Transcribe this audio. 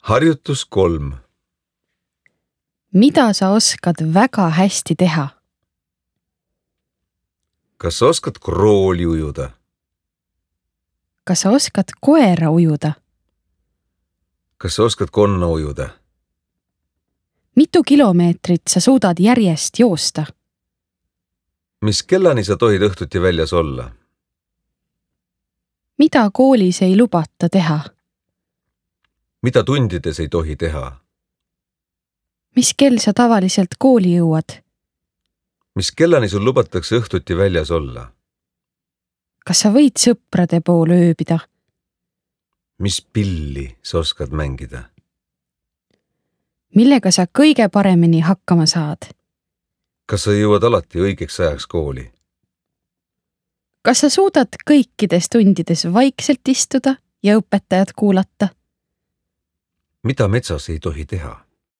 Harjutus 3. Mida sa oskad väga hästi teha? Kas sa oskad krooli ujuda? Kas sa oskad koera ujuda? Kas sa oskad konna ujuda? Mitu kilomeetrit sa suudad järjest joosta? Mis kellani sa tohid õhtuti väljas olla? Mida koolis ei lubata teha? Mida tundides ei tohi teha? Mis kell sa tavaliselt kooli jõuad? Mis kellani sul lubatakse õhtuti väljas olla? Kas sa võid sõprade poole ööbida? Mis pilli sa oskad mängida? Millega sa kõige paremini hakkama saad? Kas sa jõuad alati õigeks ajaks kooli? Kas sa suudad kõikides tundides vaikselt istuda ja õpetajat kuulata? Mida metsas ei tohi teha?